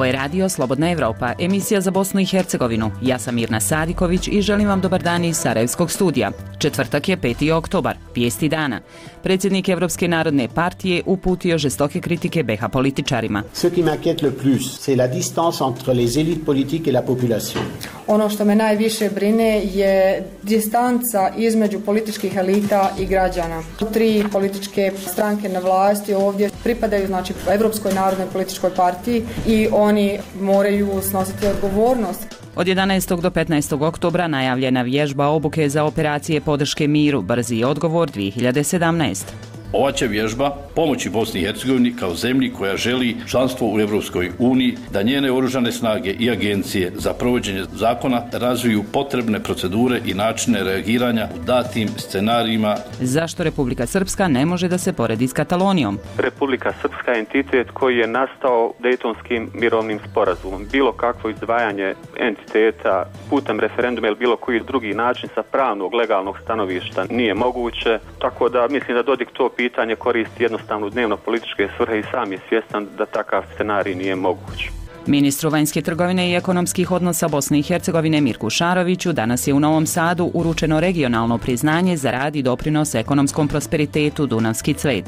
je radio Slobodna Evropa, emisija za Bosnu i Hercegovinu. Ja sam Mirna Sadiković i želim vam dobar dan iz Sarajevskog studija. Četvrtak je 5. oktobar, vijesti dana. Predsjednik Evropske narodne partije uputio žestoke kritike BiH političarima. Ce qui m'inquiète le plus, c'est la distance entre les élites politiques et la population. Ono što me najviše brine je distanca između političkih elita i građana. Tri političke stranke na vlasti ovdje pripadaju Evropskoj narodnoj političkoj partiji i oni moraju snositi odgovornost. Od 11. do 15. oktobra najavljena vježba obuke za operacije podrške miru, brzi odgovor 2017. Ova će vježba pomoći Bosni i Hercegovini kao zemlji koja želi članstvo u Europskoj uniji, da njene oružane snage i agencije za provođenje zakona razviju potrebne procedure i načine reagiranja u datim scenarijima. Zašto Republika Srpska ne može da se poredi s Katalonijom? Republika Srpska je entitet koji je nastao Dejtonskim mirovnim sporazumom. Bilo kakvo izdvajanje entiteta putem referenduma ili bilo koji drugi način sa pravnog, legalnog stanovišta nije moguće, tako da mislim da Dodik to pitanje koristi jednostavno u dnevno političke svrhe i sam je svjestan da takav scenarij nije moguć. Ministru vanjske trgovine i ekonomskih odnosa Bosne i Hercegovine Mirku Šaroviću danas je u Novom Sadu uručeno regionalno priznanje za rad i doprinos ekonomskom prosperitetu Dunavski cvet.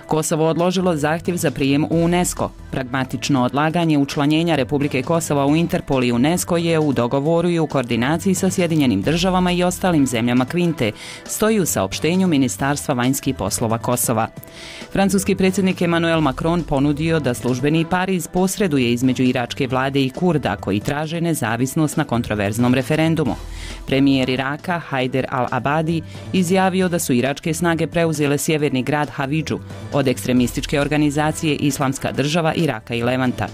Kosovo odložilo zahtjev za prijem u UNESCO. Pragmatično odlaganje učlanjenja Republike Kosova u Interpol i UNESCO je u dogovoru i u koordinaciji sa Sjedinjenim državama i ostalim zemljama Kvinte, stoji u saopštenju Ministarstva vanjskih poslova Kosova. Francuski predsjednik Emmanuel Macron ponudio da službeni Pariz posreduje između iračke vlade i Kurda koji traže nezavisnost na kontroverznom referendumu. Premijer Iraka Haider al-Abadi izjavio da su iračke snage preuzele sjeverni grad Havidžu od ekstremističke organizacije Islamska država Iraka i Levanta.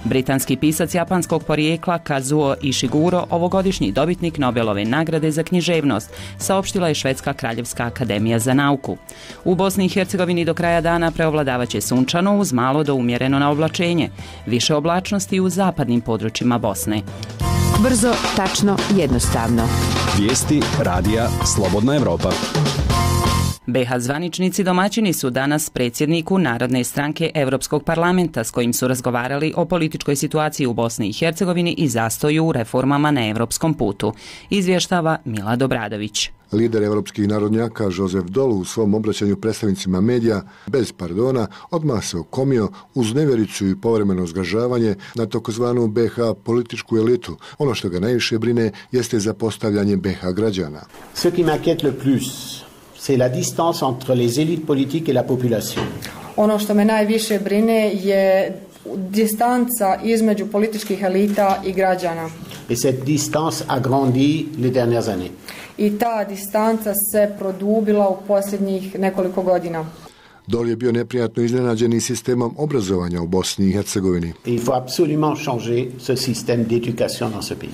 Britanski pisac japanskog porijekla Kazuo Ishiguro, ovogodišnji dobitnik Nobelove nagrade za književnost, saopštila je Švedska kraljevska akademija za nauku. U Bosni i Hercegovini do kraja dana preovladavaće sunčano uz malo do umjereno na oblačenje. Više oblačnosti u zapadnim područjima Bosne. Brzo, tačno, jednostavno. Vijesti radija Slobodna Evropa. BiH zvaničnici domaćini su danas predsjedniku Narodne stranke Europskog parlamenta s kojim su razgovarali o političkoj situaciji u Bosni i Hercegovini i zastoju u reformama na europskom putu, izvještava Milad Obradović. Lider evropskih narodnjaka Josef Dol u svom obraćanju predstavnicima medija bez pardona odmah se okomio uz nevjericu i povremeno zgražavanje na takozvanu BiH političku elitu. Ono što ga najviše brine jeste zapostavljanje BiH građana. Ce qui m'inquiète le plus, c'est la distance entre les élites politiques et la population. Ono što me najviše brine je distanca između političkih elita i građana. Et cette distance a grandi les dernières années. I ta distanca se produbila u posljednjih nekoliko godina. Dol je bio neprijatno iznenađen i sistemom obrazovanja u Bosni i Hercegovini. Il faut absolument changer ce système d'éducation dans ce pays.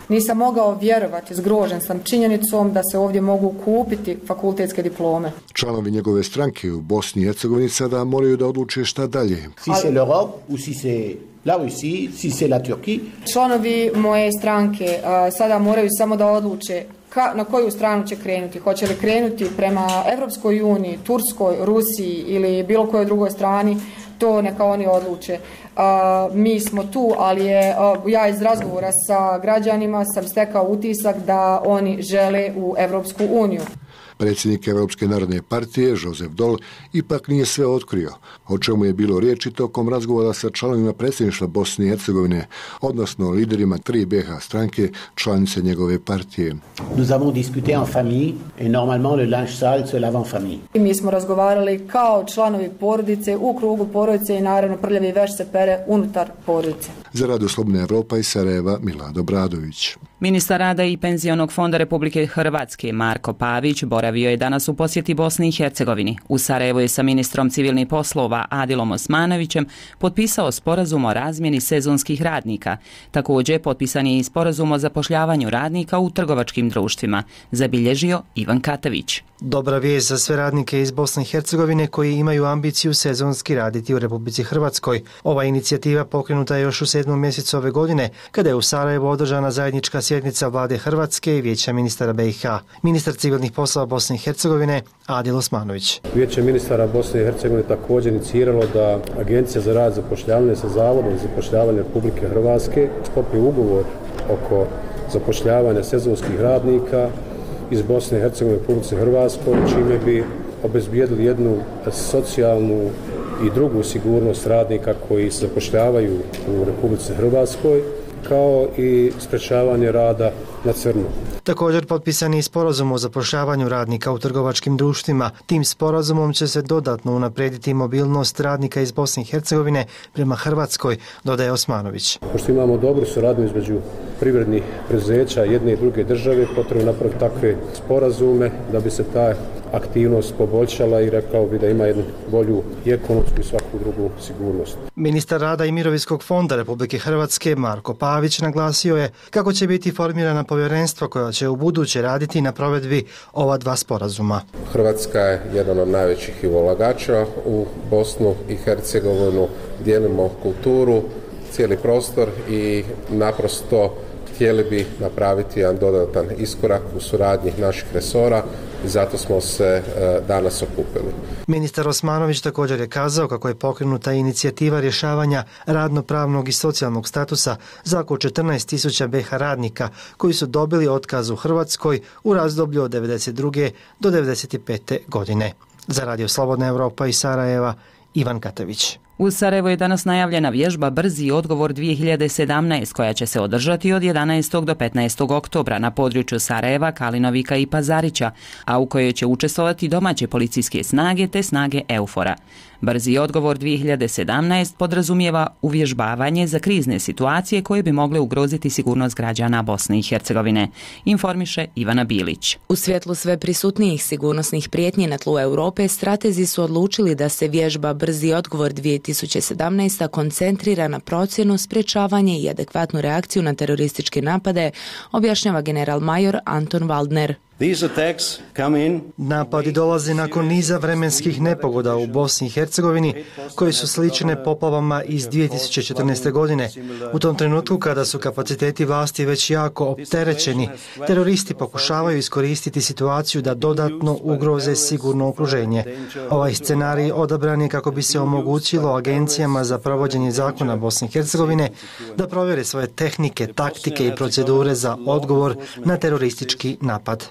Nisam mogao vjerovati, zgrožen sam činjenicom da se ovdje mogu kupiti fakultetske diplome. Članovi njegove stranke u Bosni i Hercegovini sada moraju da odluče šta dalje. Si c'est l'Europe ou si c'est la Russie, si c'est la Turquie. Članovi moje stranke sada moraju samo da odluče na koju stranu će krenuti. Hoće li krenuti prema Evropskoj uniji, Turskoj, Rusiji ili bilo kojoj drugoj strani, to neka oni odluče. Mi smo tu, ali ja iz razgovora sa građanima sam stekao utisak da oni žele u Evropsku uniju. Predsjednik Evropske narodne partije, Josef Dol, ipak nije sve otkrio, o čemu je bilo riječi tokom razgovora sa članovima predsjedništva Bosne i Hercegovine, odnosno liderima tri BiH stranke, članice njegove partije. Nous avons discuté en famille et normalement le linge sale se lave en famille. Mi smo razgovarali kao članovi porodice, u krugu porodice i naravno prljavi veš se pere unutar porodice. Za Radio Slobodna Evropa iz Sarajeva, Milad Obradović. Ministar rada i penzionog fonda Republike Hrvatske Marko Pavić boravio je danas u posjeti Bosni i Hercegovini. U Sarajevu je sa ministrom civilnih poslova Adilom Osmanovićem potpisao sporazum o razmjeni sezonskih radnika. Također potpisan je i sporazum o zapošljavanju radnika u trgovačkim društvima, zabilježio Ivan Katavić. Dobra vijest za sve radnike iz Bosne i Hercegovine koji imaju ambiciju sezonski raditi u Republici Hrvatskoj. Ova inicijativa pokrenuta je još u 7. mjesecu ove godine, kada je u Sarajevu održana zajednička sjednica vlade Hrvatske i vijeća ministara BiH. Ministar civilnih poslova poslova Bosne i Hercegovine Adil Osmanović. Vijeće ministara Bosne i Hercegovine također iniciralo da Agencija za rad i zapošljavanje sa Zavodom za zapošljavanje Republike Hrvatske sklopi ugovor oko zapošljavanja sezonskih radnika iz Bosne i Hercegovine u Republici Hrvatskoj, čime bi obezbijedili jednu socijalnu i drugu sigurnost radnika koji se zapošljavaju u Republici Hrvatskoj, kao i sprečavanje rada na crno. Također potpisan je sporazum o zapošljavanju radnika u trgovačkim društvima. Tim sporazumom će se dodatno unaprijediti mobilnost radnika iz Bosne i Hercegovine prema Hrvatskoj, dodaje Osmanović. Pošto imamo dobru suradnju između privrednih preduzeća jedne i druge države, potrebno napraviti takve sporazume da bi se ta aktivnost poboljšala i rekao bi da ima jednu bolju i ekonomsku i svaku drugu sigurnost. Ministar rada i mirovinskog fonda Republike Hrvatske Marko Pavić naglasio je kako će biti formirana povjerenstva koja će u buduće raditi na provedbi ova dva sporazuma. Hrvatska je jedan od najvećih ulagača u Bosnu i Hercegovinu, dijelimo kulturu, cijeli prostor i naprosto htjeli bi napraviti jedan dodatan iskorak u suradnji naših resora i zato smo se danas okupili. Ministar Osmanović također je kazao kako je pokrenuta inicijativa rješavanja radnopravnog i socijalnog statusa za oko 14.000 BiH radnika koji su dobili otkaz u Hrvatskoj u razdoblju od 1992. do 1995. godine. Za Radio Slobodna Europa iz Sarajeva, Ivan Katavić. U Sarajevu je danas najavljena vježba Brzi odgovor 2017 koja će se održati od 11. do 15. oktobra na području Sarajeva, Kalinovika i Pazarića, a u kojoj će učestvovati domaće policijske snage te snage EUFOR-a. Brzi odgovor 2017 podrazumijeva uvježbavanje za krizne situacije koje bi mogle ugroziti sigurnost građana Bosne i Hercegovine, informiše Ivana Bilić. U svjetlu sve prisutnijih sigurnosnih prijetnji na tlu Europe, stratezi su odlučili da se vježba Brzi odgovor 2017 koncentrira na procjenu, sprječavanje i adekvatnu reakciju na terorističke napade, objašnjava general major Anton Waldner. Napadi dolaze nakon niza vremenskih nepogoda u Bosni i Hercegovini koje su slične poplavama iz 2014. godine. U tom trenutku kada su kapaciteti vlasti već jako opterećeni, teroristi pokušavaju iskoristiti situaciju da dodatno ugroze sigurno okruženje. Ovaj scenarij odabran je kako bi se omogućilo agencijama za provođenje zakona Bosne i Hercegovine da provjere svoje tehnike, taktike i procedure za odgovor na teroristički napad.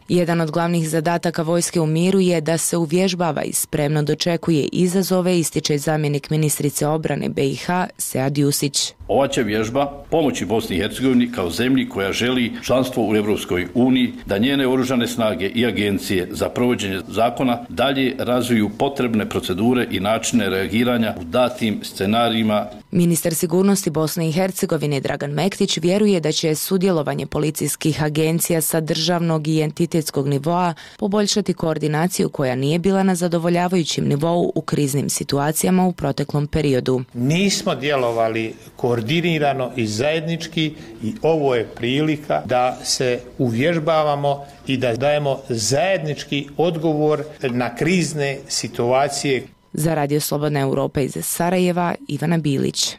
Jedan od glavnih zadataka vojske u miru je da se uvježbava i spremno dočekuje izazove, ističe zamjenik ministrice obrane BiH Sead Jusić. Ova će vježba pomoći Bosni i Hercegovini kao zemlji koja želi članstvo u Europskoj uniji, da njene oružane snage i agencije za provođenje zakona dalje razviju potrebne procedure i načine reagiranja u datim scenarijima. Ministar sigurnosti Bosne i Hercegovine Dragan Mektić vjeruje da će sudjelovanje policijskih agencija sa državnog i entitetskog nivoa poboljšati koordinaciju koja nije bila na zadovoljavajućem nivou u kriznim situacijama u proteklom periodu. Nismo djelovali koordinirano i zajednički i ovo je prilika da se uvježbavamo i da dajemo zajednički odgovor na krizne situacije. Za Radio Slobodna Europa iz Sarajeva, Ivana Bilić.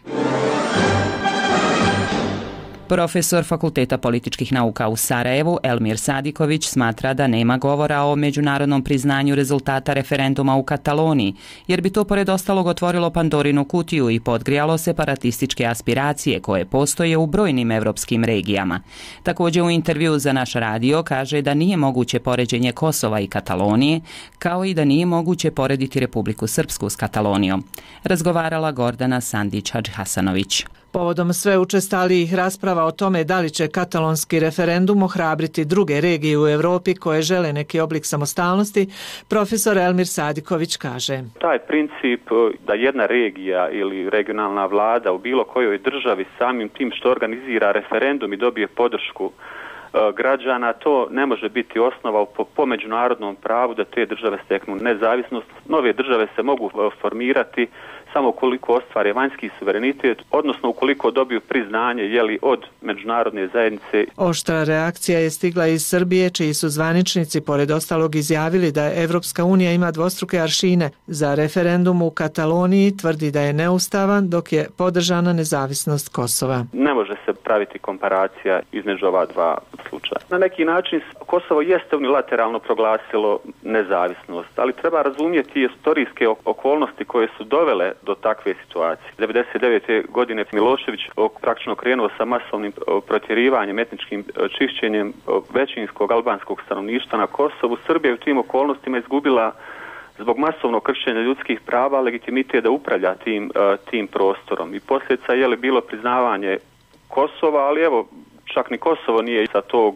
Profesor Fakulteta političkih nauka u Sarajevu Elmir Sadiković smatra da nema govora o međunarodnom priznanju rezultata referenduma u Kataloniji, jer bi to pored ostalog otvorilo Pandorinu kutiju i podgrijalo separatističke aspiracije koje postoje u brojnim europskim regijama. Također u intervju za naš radio kaže da nije moguće poređenje Kosova i Katalonije, kao i da nije moguće porediti Republiku Srpsku s Katalonijom. Razgovarala Gordana Sandić-Hadžhasanović. Povodom sve učestalijih rasprava o tome da li će katalonski referendum ohrabriti druge regije u Europi koje žele neki oblik samostalnosti, profesor Elmir Sadiković kaže. Taj princip da jedna regija ili regionalna vlada u bilo kojoj državi samim tim što organizira referendum i dobije podršku građana, to ne može biti osnova po međunarodnom pravu da te države steknu nezavisnost. Nove države se mogu formirati samo ukoliko ostvare vanjski suverenitet, odnosno ukoliko dobiju priznanje od međunarodne zajednice. Oštra reakcija je stigla iz Srbije, čiji su zvaničnici pored ostalog izjavili da Evropska unija ima dvostruke aršine. Za referendum u Kataloniji tvrdi da je neustavan, dok je podržana nezavisnost Kosova. Ne može se praviti komparacija između ova dva slučaja. Na neki način Kosovo jeste unilateralno proglasilo nezavisnost, ali treba razumjeti istorijske okolnosti koje su dovele do takve situacije. 1999. godine Milošević praktično krenuo sa masovnim protjerivanjem, etničkim čišćenjem većinskog albanskog stanovništva na Kosovu. Srbija je u tim okolnostima izgubila zbog masovnog kršenja ljudskih prava legitimitet da upravlja tim prostorom. I posljedica je bilo priznavanje Kosova, ali evo, čak ni Kosovo nije sa tog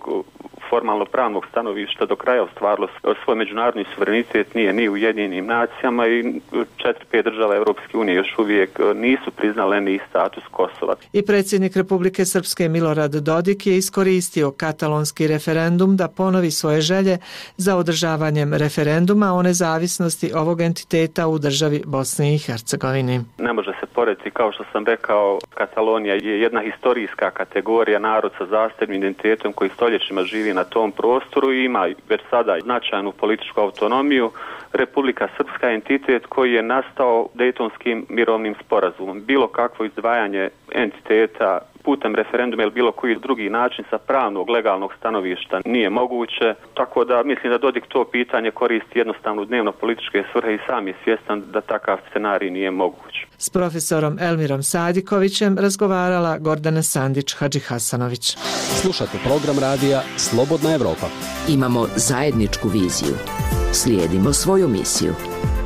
formalno pravnog stanovišta do kraja ostvarilo svoj međunarodni suverenitet, nije ni u Ujedinjenim nacijama i 4-5 država Europske unije još uvijek nisu priznale ni status Kosova. I predsjednik Republike Srpske Milorad Dodik je iskoristio katalonski referendum da ponovi svoje želje za održavanjem referenduma o nezavisnosti ovog entiteta u državi Bosne i Hercegovini. Ne može se porediti, kao što sam rekao, Katalonija je jedna historijska kategorija, narod sa zasebnim identitetom koji stoljećima živi na tom prostoru i ima već sada značajnu političku autonomiju. Republika Srpska je entitet koji je nastao Dejtonskim mirovnim sporazumom. Bilo kakvo izdvajanje entiteta putem referenduma ili bilo koji drugi način sa pravnog, legalnog stanovišta nije moguće. Tako da mislim da Dodik to pitanje koristi jednostavno u dnevno političke svrhe i sam je svjestan da takav scenarij nije moguć. S profesorom Elmirom Sadikovićem razgovarala Gordana Sandić-Hadžihasanović. Slušate program radija Slobodna Evropa. Imamo zajedničku viziju. Slijedimo svoju misiju.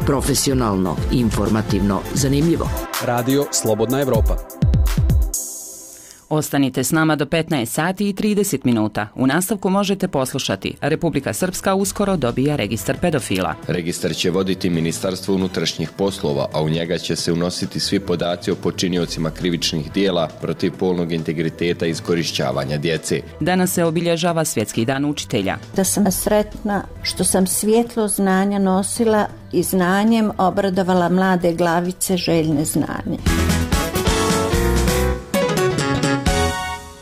Profesionalno, informativno, zanimljivo. Radio Slobodna Evropa. Ostanite s nama do 15 sati i 30 minuta. U nastavku možete poslušati: Republika Srpska uskoro dobija registar pedofila. Registar će voditi Ministarstvo unutrašnjih poslova, a u njega će se unositi svi podaci o počiniocima krivičnih dijela protiv polnog integriteta i iskorišćavanja djece. Danas se obilježava Svjetski dan učitelja. Da sam sretna što sam svjetlo znanja nosila i znanjem obradovala mlade glavice željne znanja.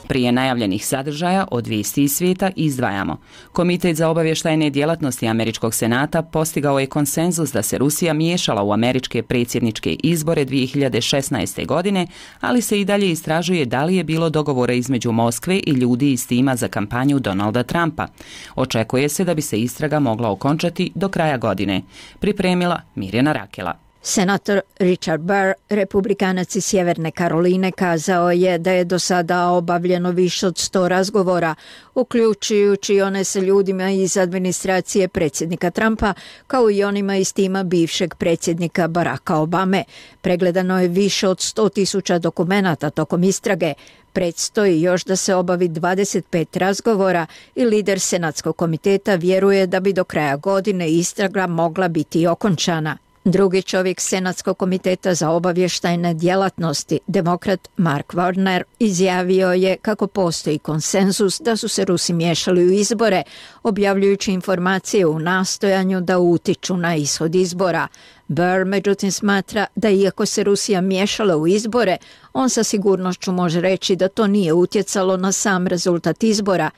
Prije najavljenih sadržaja od vijesti iz svijeta izdvajamo. Komitet za obavještajne djelatnosti Američkog senata postigao je konsenzus da se Rusija miješala u američke predsjedničke izbore 2016. godine, ali se i dalje istražuje da li je bilo dogovora između Moskve i ljudi iz tima za kampanju Donalda Trumpa. Očekuje se da bi se istraga mogla okončati do kraja godine. Pripremila Mirjana Rakela. Senator Richard Burr, republikanac iz Sjeverne Karoline, kazao je da je do sada obavljeno više od 100 razgovora, uključujući one sa ljudima iz administracije predsjednika Trumpa, kao i onima iz tima bivšeg predsjednika Baracka Obame. Pregledano je više od 100.000 dokumenata tokom istrage. Predstoji još da se obavi 25 razgovora i lider Senatskog komiteta vjeruje da bi do kraja godine istraga mogla biti okončana. Drugi čovjek Senatskog komiteta za obavještajne djelatnosti, demokrat Mark Warner, izjavio je kako postoji konsenzus da su se Rusi miješali u izbore, objavljujući informacije u nastojanju da utiču na ishod izbora. Burr međutim smatra da iako se Rusija miješala u izbore, on sa sigurnošću može reći da to nije utjecalo na sam rezultat izbora.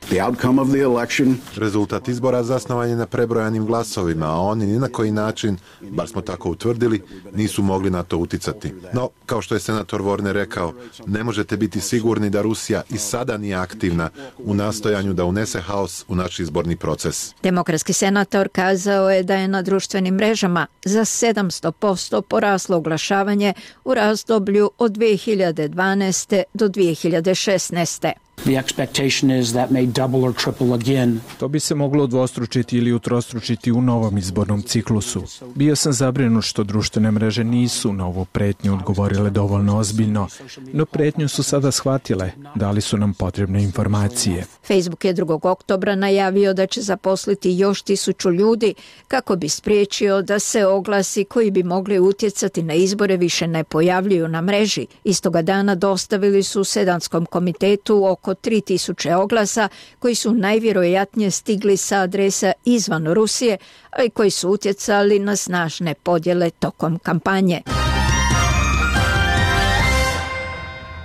Rezultat izbora zasnovan je na prebrojanim glasovima, a oni ni na koji način, bar smo tako utvrdili, nisu mogli na to utjecati. No, kao što je senator Warner rekao, ne možete biti sigurni da Rusija i sada nije aktivna u nastojanju da unese haos u naš izborni proces. Demokratski senator kazao je da je na društvenim mrežama za 700% poraslo oglašavanje u razdoblju od 2012. do 2016. The expectation is that may double or triple again. To bi se moglo udvostručiti ili utrostručiti u novom izbornom ciklusu. Bio sam zabrinut što društvene mreže nisu na ovu pretnju odgovorile dovoljno ozbiljno, no pretnju su sada shvatile, dali su nam potrebne informacije. Facebook je 2. oktobra najavio da će zaposliti još 1000 ljudi kako bi spriječio da se oglasi koji bi mogli utjecati na izbore više ne pojavljuju na mreži. Istoga dana dostavili su Senatskom komitetu oko 3000 oglasa koji su najvjerojatnije stigli sa adresa izvan Rusije, ali koji su utjecali na snažne podjele tokom kampanje.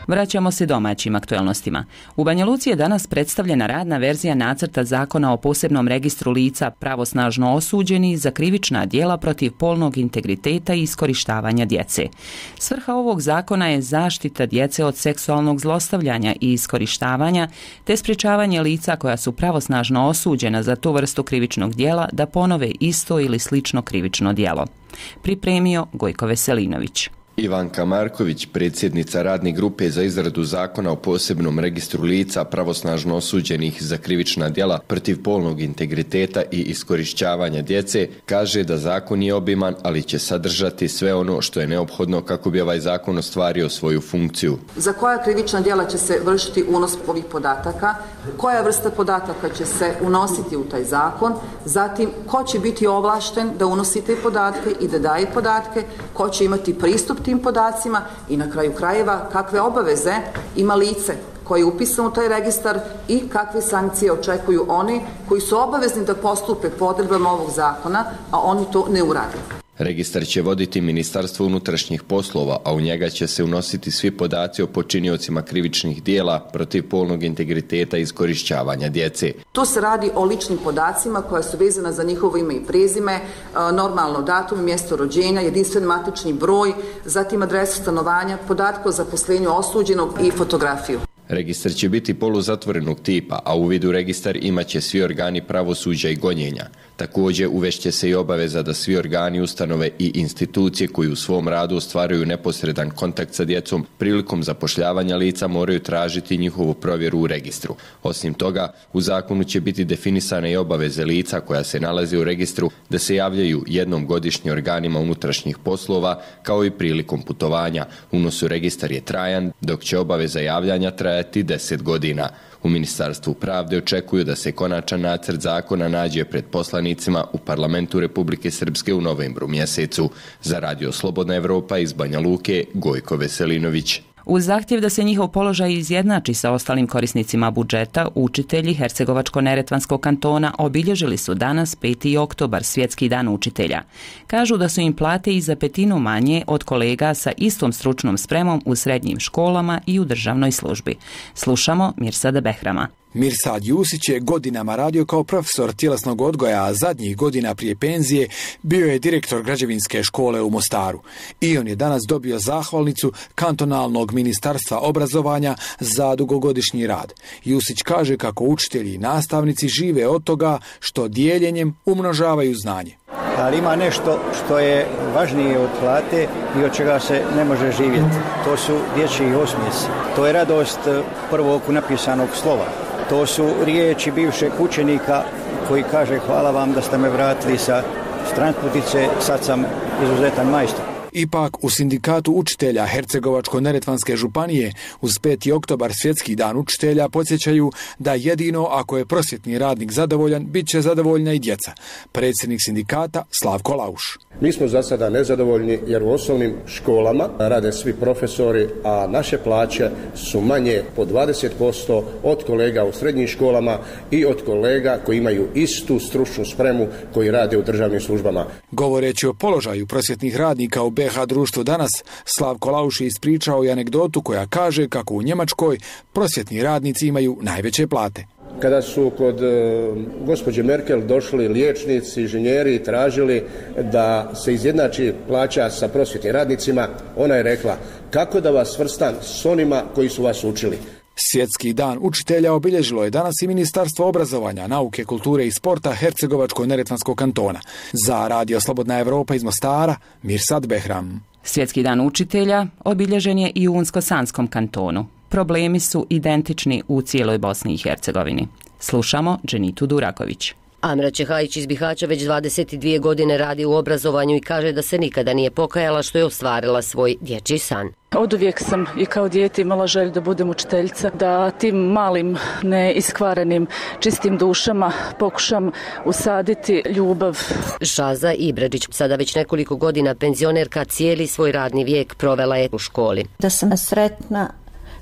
Vraćamo se domaćim aktuelnostima. U Banja Luci je danas predstavljena radna verzija nacrta zakona o posebnom registru lica pravosnažno osuđeni za krivična djela protiv polnog integriteta i iskorištavanja djece. Svrha ovog zakona je zaštita djece od seksualnog zlostavljanja i iskorištavanja, te sprječavanje lica koja su pravosnažno osuđena za tu vrstu krivičnog djela da ponove isto ili slično krivično djelo. Pripremio Gojko Veselinović. Ivanka Marković, predsjednica radne grupe za izradu zakona o posebnom registru lica pravosnažno osuđenih za krivična djela protiv polnog integriteta i iskorišćavanja djece, kaže da zakon je obiman, ali će sadržati sve ono što je neophodno kako bi ovaj zakon ostvario svoju funkciju. Za koja krivična djela će se vršiti unos ovih podataka, koja vrsta podataka će se unositi u taj zakon, zatim ko će biti ovlašten da unosi te podatke i da daje podatke, ko će imati pristup tim podacima i na kraju krajeva kakve obaveze ima lice koje je upisano u taj registar i kakve sankcije očekuju oni koji su obavezni da postupe po odredbama ovog zakona, a oni to ne urade. Registar će voditi Ministarstvo unutrašnjih poslova, a u njega će se unositi svi podaci o počiniocima krivičnih djela protiv polnog integriteta i iskorišćavanja djece. Tu se radi o ličnim podacima koja su vezana za njihovo ime i prezime, normalno datum, mjesto rođenja, jedinstven matični broj, zatim adresu stanovanja, podatke o zaposlenju osuđenog i fotografiju. Registar će biti poluzatvorenog tipa, a uvid u registar imaće svi organi pravosuđa i gonjenja. Također uvešće se i obaveza da svi organi, ustanove i institucije koji u svom radu ostvaruju neposredan kontakt sa djecom prilikom zapošljavanja lica moraju tražiti njihovu provjeru u registru. Osim toga, u zakonu će biti definisane i obaveze lica koja se nalaze u registru da se javljaju jednom godišnje organima unutrašnjih poslova kao i prilikom putovanja. Unos u registar je trajan, dok će obaveza javljanja trajati 10 godina. U Ministarstvu pravde očekuju da se konačan nacrt zakona nađe pred poslanicima u Parlamentu Republike Srpske u novembru mjesecu. Za Radio Slobodna Evropa iz Banja Luke, Gojko Veselinović. Uz zahtjev da se njihov položaj izjednači sa ostalim korisnicima budžeta, učitelji Hercegovačko-neretvanskog kantona obilježili su danas 5. oktobar, Svjetski dan učitelja. Kažu da su im plate i za petinu manje od kolega sa istom stručnom spremom u srednjim školama i u državnoj službi. Slušamo Mirsada Behrama. Mirsad Jusić je godinama radio kao profesor tjelesnog odgoja, a zadnjih godina prije penzije bio je direktor građevinske škole u Mostaru. I on je danas dobio zahvalnicu kantonalnog ministarstva obrazovanja za dugogodišnji rad. Jusić kaže kako učitelji i nastavnici žive od toga što dijeljenjem umnožavaju znanje. Ali ima nešto što je važnije od plate i od čega se ne može živjeti. To su dječji osmijesi. To je radost prvog napisanog slova. To su riječi bivšeg učenika koji kaže hvala vam da ste me vratili sa stranputice, sad sam izuzetan majstor. Ipak u sindikatu učitelja Hercegovačko-neretvanske županije uz 5. oktobar Svjetski dan učitelja podsjećaju da jedino ako je prosvjetni radnik zadovoljan, bit će zadovoljna i djeca. Predsjednik sindikata Slavko Lauš. Mi smo za sada nezadovoljni jer u osnovnim školama rade svi profesori, a naše plaće su manje po 20% od kolega u srednjim školama i od kolega koji imaju istu stručnu spremu koji rade u državnim službama. Govoreći o položaju prosvjetnih radnika u BH društvu danas, Slavko Lauš je ispričao i anegdotu koja kaže kako u Njemačkoj prosvjetni radnici imaju najveće plate. Kada su kod gospođe Merkel došli liječnici, inženjeri i tražili da se izjednači plaća sa prosvjetnim radnicima, ona je rekla kako da vas svrstam s onima koji su vas učili. Svjetski dan učitelja obilježilo je danas i Ministarstvo obrazovanja, nauke, kulture i sporta Hercegovačko-neretvanskog kantona. Za Radio Slobodna Evropa iz Mostara, Mirsad Behram. Svjetski dan učitelja obilježen je i u Unsko-Sanskom kantonu. Problemi su identični u cijeloj Bosni i Hercegovini. Slušamo Dženitu Duraković. Amra Čehajić iz Bihaća već 22 godine radi u obrazovanju i kaže da se nikada nije pokajala što je ostvarila svoj dječji san. Oduvijek sam i kao dijete imala želju da budem učiteljica, da tim malim, neiskvarenim, čistim dušama pokušam usaditi ljubav. Šaza Ibređić, sada već nekoliko godina penzionerka, cijeli svoj radni vijek provela je u školi. Da sam sretna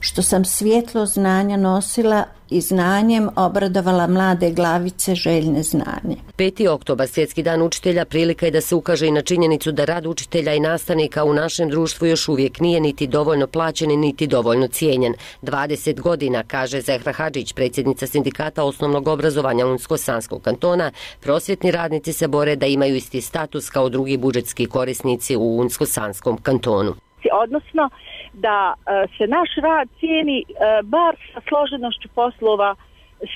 što sam svjetlo znanja nosila i znanjem obradovala mlade glavice željne znanje. 5. oktobar, Svjetski dan učitelja, prilika je da se ukaže i na činjenicu da rad učitelja i nastavnika u našem društvu još uvijek nije niti dovoljno plaćen, niti dovoljno cijenjen. 20 godina, kaže Zehra Hadžić, predsjednica sindikata osnovnog obrazovanja Unsko-Sanskog kantona, prosvjetni radnici se bore da imaju isti status kao drugi budžetski korisnici u Unsko-Sanskom kantonu. Odnosno da se naš rad cijeni bar sa složenošću poslova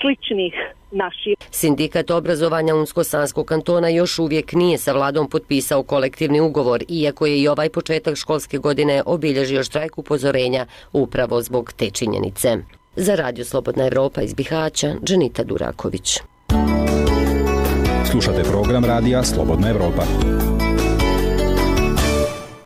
sličnih naših. Sindikat obrazovanja Unsko-Sanskog kantona još uvijek nije sa vladom potpisao kolektivni ugovor, iako je i ovaj početak školske godine obilježio štrajk upozorenja upravo zbog te činjenice. Za Radio Slobodna Evropa iz Bihaća, Dženita Duraković. Slušate program radija Slobodna Evropa.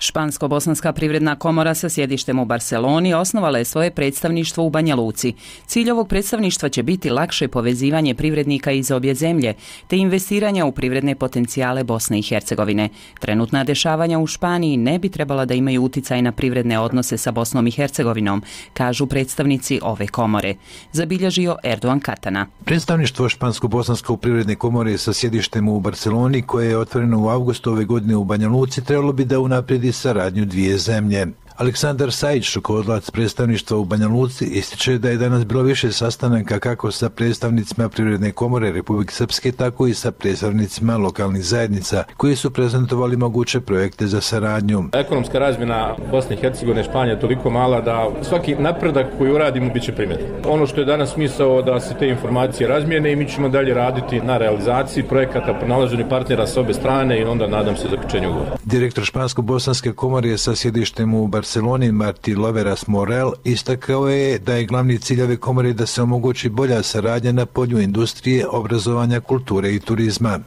Špansko-bosanska privredna komora sa sjedištem u Barceloni osnovala je svoje predstavništvo u Banja Luci. Cilj ovog predstavništva će biti lakše povezivanje privrednika iz obje zemlje, te investiranja u privredne potencijale Bosne i Hercegovine. Trenutna dešavanja u Španiji ne bi trebala da imaju uticaj na privredne odnose sa Bosnom i Hercegovinom, kažu predstavnici ove komore. Zabilježio Erdogan Katana. Predstavništvo Špansko-bosanske privredne komore sa sjedištem u Barceloni, koje je otvoreno u avgustu ove godine u Banja Luci, trebalo bi da unaprijedi saradnju dvije zemlje. Aleksandar Sajić, rukovodilac predstavništva u Banja Luci, ističe da je danas bilo više sastanaka kako sa predstavnicima Privredne komore Republike Srpske, tako i sa predstavnicima lokalnih zajednica, koji su prezentovali moguće projekte za saradnju. Ekonomska razmjena Bosne i Hercegovine i Španije je toliko mala da svaki napredak koji uradimo biće primjetan. Ono što je danas smisao da se te informacije razmijene i mi ćemo dalje raditi na realizaciji projekata, pronalaženju partnera s obe strane i onda nadam se zaključenju ugovora. Direktor Špansko-bosanske komore sa sjedištem u Barceloni, Marti Loveras Morel, istakao je da je glavni cilj ove komore da se omogući bolja saradnja na polju industrije, obrazovanja, kulture i turizma.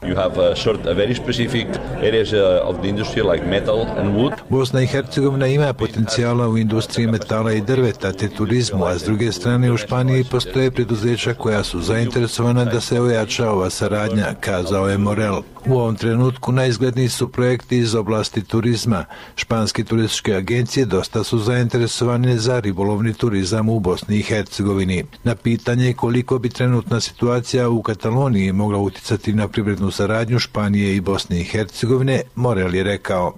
Bosna i Hercegovina ima potencijala u industriji metala i drveta te turizmu, a s druge strane u Španiji postoje preduzeća koja su zainteresovana da se ojača ova saradnja, kazao je Morel. U ovom trenutku najizgledniji su projekti iz oblasti turizma. Španske turističke agencije dosta su zainteresovane za ribolovni turizam u Bosni i Hercegovini. Na pitanje koliko bi trenutna situacija u Kataloniji mogla uticati na privrednu saradnju Španije i Bosne i Hercegovine, Morel je rekao: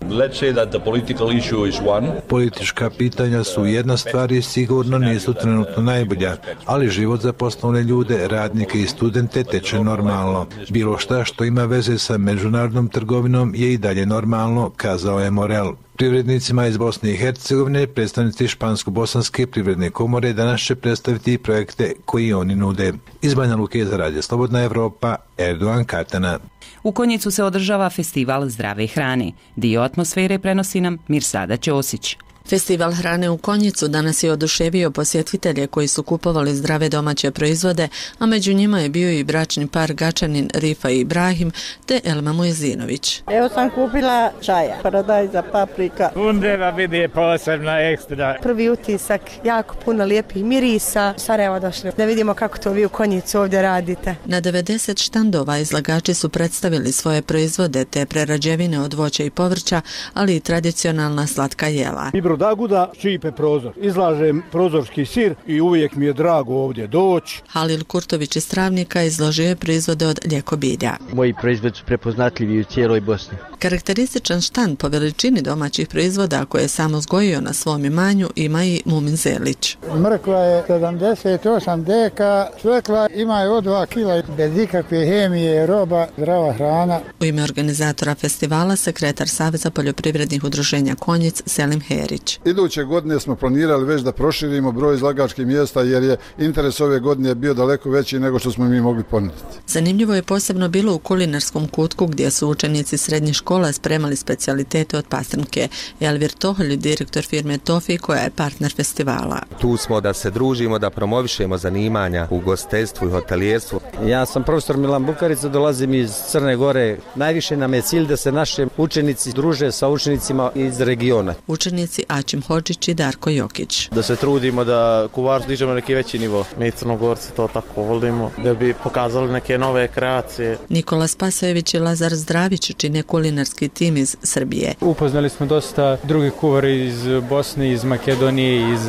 Politička pitanja su jedna stvar i sigurno nisu trenutno najbolja, ali život za poslovne ljude, radnike i studente teče normalno. Bilo šta što ima veze sa međunarodnom trgovinom je i dalje normalno, kazao je Morel. Privrednicima iz Bosne i Hercegovine predstavnici Špansko-bosanske privredne komore danas će predstaviti projekte koji oni nude. Iz Banja Luke za Radio Slobodna Evropa, Erdogan Katana. U Konjicu se održava festival zdrave hrane. Dio atmosfere prenosi nam Mirsada Ćosić. Festival hrane u Konjicu danas je oduševio posjetitelje koji su kupovali zdrave domaće proizvode, a među njima je bio i bračni par Gačanin Rifa i Ibrahim te Elma Mojzinović. Evo sam kupila čaja, paradajza, paprika. Undeva vidi posebna ekstra. Prvi utisak, jako puno lijepih mirisa. Sarajevo došli da vidimo kako to vi u Konjicu ovdje radite. Na 90 štandova izlagači su predstavili svoje proizvode te prerađevine od voća i povrća, ali i tradicionalna slatka jela. Daguda šipe prozor. Izlažem prozorski sir i uvijek mi je drago ovdje doći. Halil Kurtović iz Travnika izložio je proizvode od ljekobilja. Moji proizvodi su prepoznatljivi u cijeloj Bosni. Karakterističan štand po veličini domaćih proizvoda koje je sam uzgojio na svom imanju ima i Mumin Zelić. Mrkva je 78 deka, svekla ima je od 2 kila, bez ikakve hemije, roba, zdrava hrana. U ime organizatora festivala sekretar Saveza poljoprivrednih udruženja Konjic Selim Herić. Iduće godine smo planirali već da proširimo broj izlagačkih mjesta jer je interes ove godine bio daleko veći nego što smo mi mogli ponuditi. Zanimljivo je posebno bilo u kulinarskom kutku gdje su učenici srednjih škola spremali specijalitete od pastrnke. Elvir Toholj, direktor firme Tofi koja je partner festivala. Tu smo da se družimo, da promovišemo zanimanja u gostiteljstvu i hotelijerstvu. Ja sam profesor Milan Bukarica, dolazim iz Crne Gore. Najviše nam je cilj da se naši učenici druže sa učenicima iz regiona. Učenici Ačim Hodžić i Darko Jokić. Da se trudimo da Kuvaru dižemo neki veći nivo. Mi Crnogorci to tako volimo, da bi pokazali neke nove kreacije. Nikola Spasojević i Lazar Zdravić čine kulinarski tim iz Srbije. Upoznali smo dosta drugih kuvara iz Bosne, iz Makedonije, iz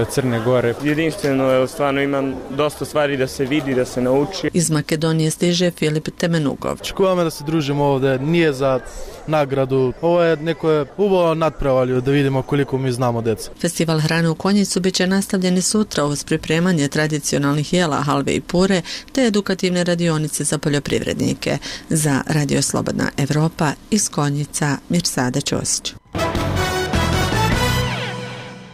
Crne Gore. Jedinstveno, stvarno imam dosta stvari da se vidi, da se nauči. Iz Makedonije stiže Filip Temenugov. Školama da se družimo ovdje, nije za nagradu. Ovo je neko uvo nadprevalju da vidimo koliko mi znamo djeca. Festival hrane u Konjicu bit će nastavljeni sutra uz pripremanje tradicionalnih jela, halve i pure te edukativne radionice za poljoprivrednike. Za Radio Slobodna Evropa iz Konjica Mirsada Ćosić.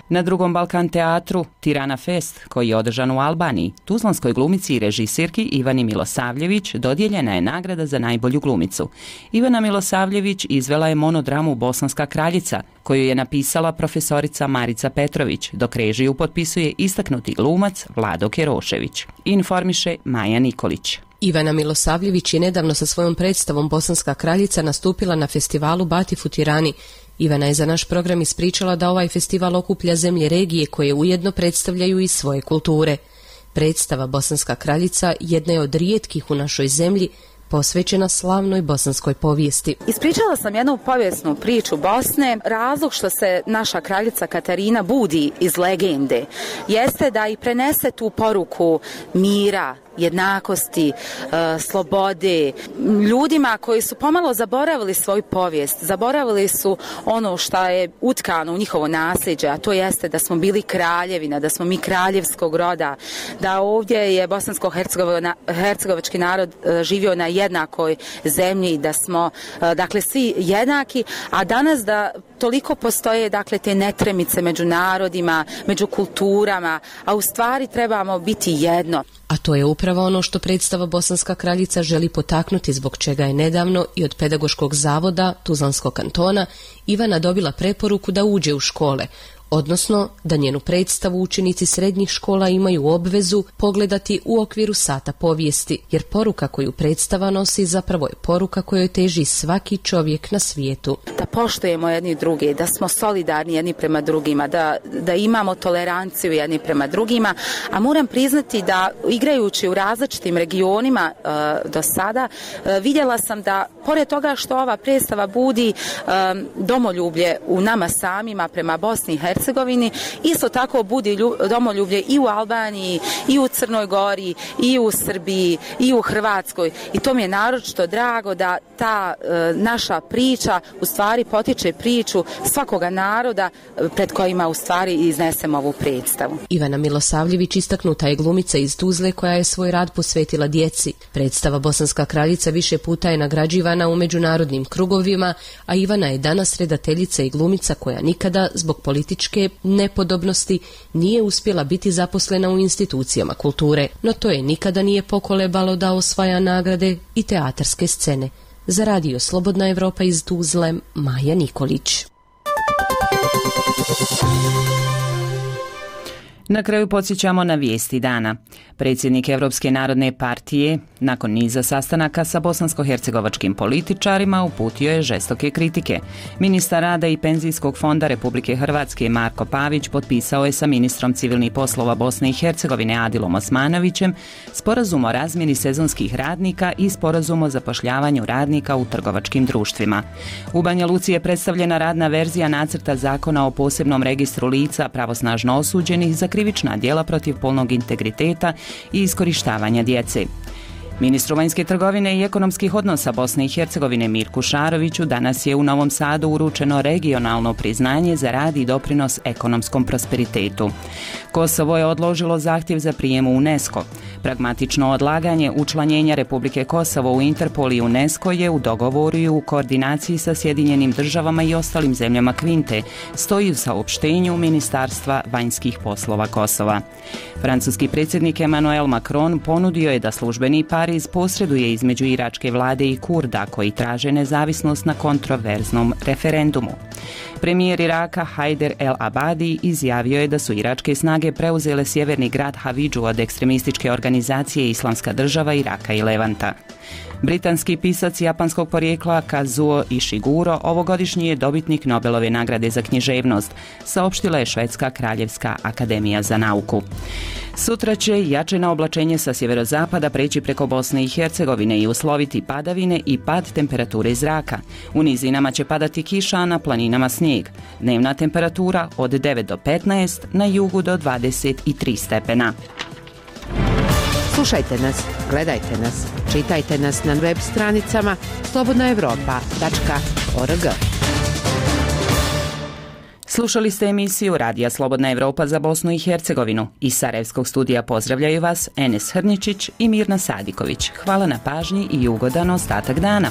Na drugom Balkan teatru Tirana Fest, koji je održan u Albaniji, tuzlanskoj glumici i režisirki Ivani Milosavljević dodijeljena je nagrada za najbolju glumicu. Ivana Milosavljević izvela je monodramu Bosanska kraljica, koju je napisala profesorica Marica Petrović, dok režiju potpisuje istaknuti glumac Vlado Kerošević. Informiše Maja Nikolić. Ivana Milosavljević je nedavno sa svojom predstavom Bosanska kraljica nastupila na festivalu Batif u Tirani. Ivana je za naš program ispričala da ovaj festival okuplja zemlje regije koje ujedno predstavljaju i svoje kulture. Predstava Bosanska kraljica jedna je od rijetkih u našoj zemlji posvećena slavnoj bosanskoj povijesti. Ispričala sam jednu povijesnu priču Bosne. Razlog što se naša kraljica Katarina budi iz legende jeste da i prenese tu poruku mira, jednakosti, slobode, ljudima koji su pomalo zaboravili svoju povijest, zaboravili su ono što je utkano u njihovo nasljeđe, a to jeste da smo bili kraljevina, da smo mi kraljevskog roda, da ovdje je bosansko-hercegovački narod živio na jednakoj zemlji, da smo dakle svi jednaki, a danas da toliko postoje dakle te netremice među narodima, među kulturama, a u stvari trebamo biti jedno. A to je upravo ono što predstava Bosanska kraljica želi potaknuti, zbog čega je nedavno i od Pedagoškog zavoda Tuzlanskog kantona Ivana dobila preporuku da uđe u škole, odnosno da njenu predstavu učenici srednjih škola imaju obvezu pogledati u okviru sata povijesti, jer poruka koju predstava nosi zapravo je poruka kojoj teži svaki čovjek na svijetu. Da poštujemo jedni druge, da smo solidarni jedni prema drugima, da imamo toleranciju jedni prema drugima, a moram priznati da igrajući u različitim regionima do sada, vidjela sam da pored toga što ova predstava budi domoljublje u nama samima prema Bosni i Hercegovini, isto tako budi domoljublje i u Albaniji, i u Crnoj Gori, i u Srbiji, i u Hrvatskoj. I to mi je naročito drago da ta naša priča u stvari potiče priču svakoga naroda pred kojima u stvari iznesemo ovu predstavu. Ivana Milosavljević istaknuta je glumica iz Tuzle koja je svoj rad posvetila djeci. Predstava Bosanska kraljica više puta je nagrađivana u međunarodnim krugovima, a Ivana je danas redateljica i glumica koja nikada zbog političke nepodobnosti nije uspjela biti zaposlena u institucijama kulture, no to je nikada nije pokolebalo da osvaja nagrade i teatarske scene. Za Radio Slobodna Evropa iz Tuzle, Maja Nikolić. Na kraju podsjećamo na vijesti dana. Predsjednik Europske narodne partije, nakon niza sastanaka sa bosansko-hercegovačkim političarima, uputio je žestoke kritike. Ministar rada i penzijskog fonda Republike Hrvatske Marko Pavić potpisao je sa ministrom civilnih poslova Bosne i Hercegovine Adilom Osmanovićem sporazum o razmjeni sezonskih radnika i sporazum o zapošljavanju radnika u trgovačkim društvima. U Banja Luci je predstavljena radna verzija nacrta zakona o posebnom registru lica pravosnažno osuđenih za krivična djela protiv polnog integriteta i iskorištavanja djece. Ministru vanjske trgovine i ekonomskih odnosa Bosne i Hercegovine Mirku Šaroviću danas je u Novom Sadu uručeno regionalno priznanje za rad i doprinos ekonomskom prosperitetu. Kosovo je odložilo zahtjev za prijem u UNESCO. Pragmatično odlaganje učlanjenja Republike Kosovo u Interpol i UNESCO je u dogovoru i u koordinaciji sa Sjedinjenim državama i ostalim zemljama Kvinte, stoji u saopštenju Ministarstva vanjskih poslova Kosova. Francuski predsjednik Emmanuel Macron ponudio je da službeni Pariz posreduje između iračke vlade i Kurda koji traže nezavisnost na kontroverznom referendumu. Premijer Iraka Haider el-Abadi izjavio je da su iračke snage preuzele sjeverni grad Havidžu od ekstremističke organizacije organizacije Islamska država Iraka i Levanta. Britanski pisac japanskog porijekla Kazuo Ishiguro ovogodišnji je dobitnik Nobelove nagrade za književnost, saopštila je Švedska kraljevska akademija za nauku. Sutra će jačeno oblačenje sa sjeverozapada preći preko Bosne i Hercegovine i usloviti padavine i pad temperature zraka. U nizinama će padati kiša, a na planinama snijeg. Dnevna temperatura od 9 do 15, na jugu do 23 stepena. Slušajte nas, gledajte nas, čitajte nas na web stranicama slobodnaevropa.org. Slušali ste emisiju Radija Slobodna Evropa za Bosnu i Hercegovinu. Iz Sarajevskog studija pozdravljaju vas Enes Hrničić i Mirna Sadiković. Hvala na pažnji i ugodan ostatak dana.